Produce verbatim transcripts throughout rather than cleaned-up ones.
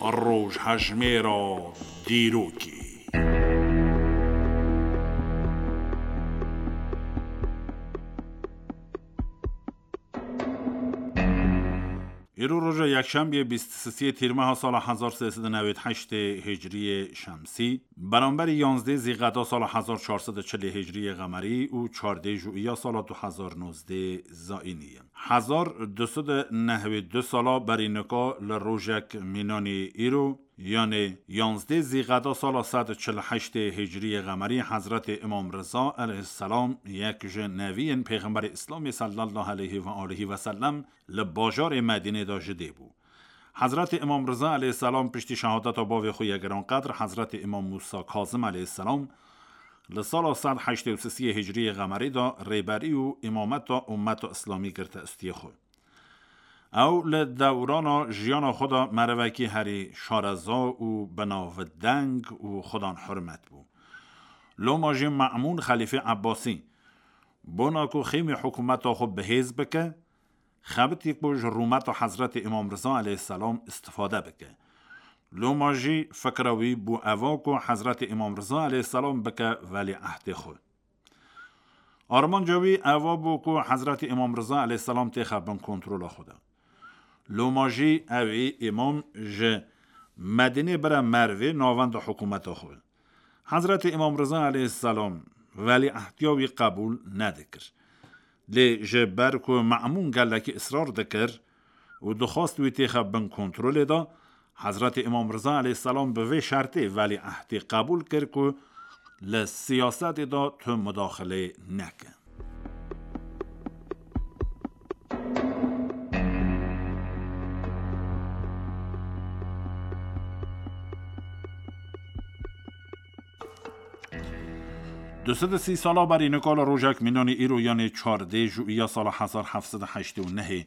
Rojhejmêra dîrokê. Îro roja yekşembiyê bîst û sisiyê Tîrmeha sala hezar sê sed û newêd heştê Hicriyê Şemsî, beramberî yanzdê Zîqeda sala hezar çar sed û çilê Hicriyê Qemerî û çardê Jûiya sala du hezar nozdê Zayînî ye. Hezar du sed û nehwê du sala berî nika li rojek mînanî îro, yanê yanzdê Zîqeda sala sed û çil û heştê Hicriyê Qemerî, Hezretê Îmam Riza aleyhisselam, yek ji neviyên Pêxemberê Îslamê sallallahu aleyhi ve alihi ve sellem, li bajarê Medînê de ji dê bû. Hezretê Îmam Riza aleyhisselam piştî şehadeta bavê xwe yê giranqedr, Hezretê Îmam Mûsa Kazim aleyhisselam, li sala sed heştê û sisiyê Hicriyê Qemerî de rêberî û îmameta ummeta Îslamî girte istiyê xwe. Ew li dewrana jiyana xwe de merivekî herî şareza û binavdeng û xudan hurmet bû. Loma jî Me'mûn Xelîfê Ebbasî, bona ku xêmê hikûmeta xwe bihêz bike, xebitî ku ji rûmeta Hezretê Îmam Riza aleyhisselam istifade bike. Loma jî fikra wî bû eva ku Hezretê Îmam Riza aleyhisselam bike velîehdê xwe. Armanca wî eva bû ku Hezretê Îmam Riza aleyhisselam têxe bin kontrola xwe de. Loma jî ew ê îmam ji Medînê bire Mervê navenda hikûmeta xwe. Hezretê Îmam Riza aleyhisselam velîehdiya wî qebûl nedikir. Lê ji ber ku Me'mûn gelekî israr dikir û dixwast wî têxe bin kontrolê de, Hezretê Îmam Riza aleyhisselam bi vê şertê velîehdê qebûl kir ku li siyasetê de tu mudaxileyê neke. Du sed û sî sala berî nika li rojek mînanî îro, yanê çardê Jûiya sala hezar heft sed û heştê û nehê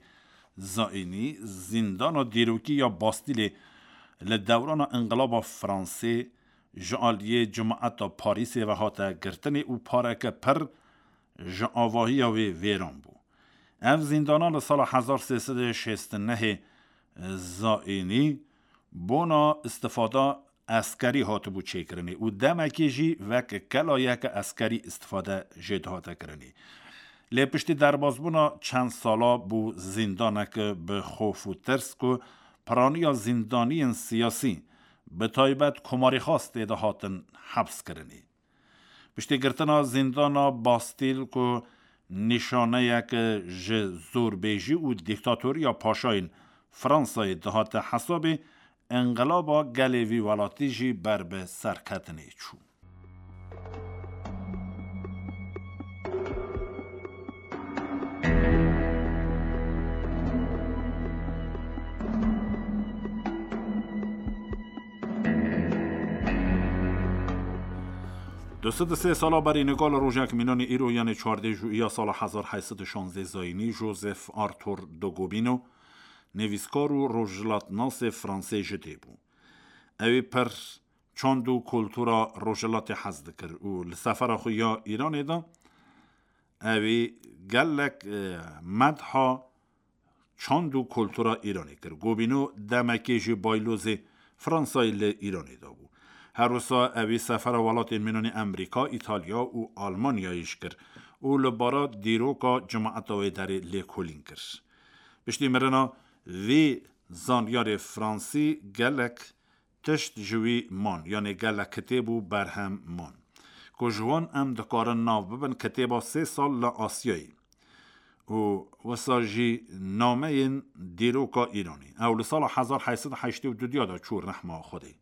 Zayînî, zîndana dîrokî ya Bastîlê li dewrana Înqilaba Fransê ji aliyê cemaeta Parîsê ve hate girtinê û pareke pir ji avahiya wê vêran bû. Ev zîndana li sala hezar sê sed û şêst û nehê Zayînî bona istifada eskerî hatibû çêkirinê û demekê jî wek kelayeke eskerî istifade jê dihate kirinê. Lê piştî derbasbûna çend sala bû zîndanek bi xof û tirs ku piraniya zîndaniyên siyasî, bi taybet komarîxwaz tê de hatin heps kirinê. Piştî girtina zîndana Bastîl ku nîşaneyek ji zorbêjî û dîktatoriya paşayên Fransayê dihate hesabê, înqilaba gelê vî welatî jî ber bi serketinê çû. Du sed û sê sala berî nika li rojek mînanî îro, yanê çardê Jûiya sala hezar heyt sed û şazdê Zayînî, Joseph Arthur de Gobineau, nivîskar û rojhilatnasê Fransê ji dê bû. Ew ê pir çand û kultura rojhilatê hez dikir û li sefera xwe ya Îranê de ew ê gelek, e, medha çand û kultura Îranê kir. Gobineau demekê jî baylozê Fransayê li Îranê de bû. Her wisa ew ê sefera welatên mînanî Emerîka, Îtalya û Almanyayê jî kir û li bara dîroka cemaeta wê derê lêkolîn kir. Piştî mirina vê zanyarê Fransî gelek tişt ji wî man, yanê gelek kitêb û berhem man, ku ji wan em dikarin nav bibin kitêba sê sal li Asyayê û wisa jî nameyên dîroka Îranê. Ew li sala hezar heyt sed û heştê û du de çû rehma Xwedê.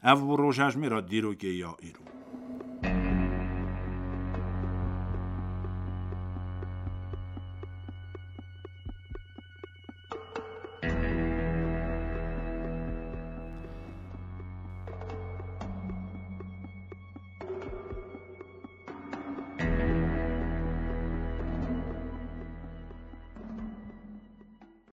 Ev bû rojhejmêra dîrokê ya îro.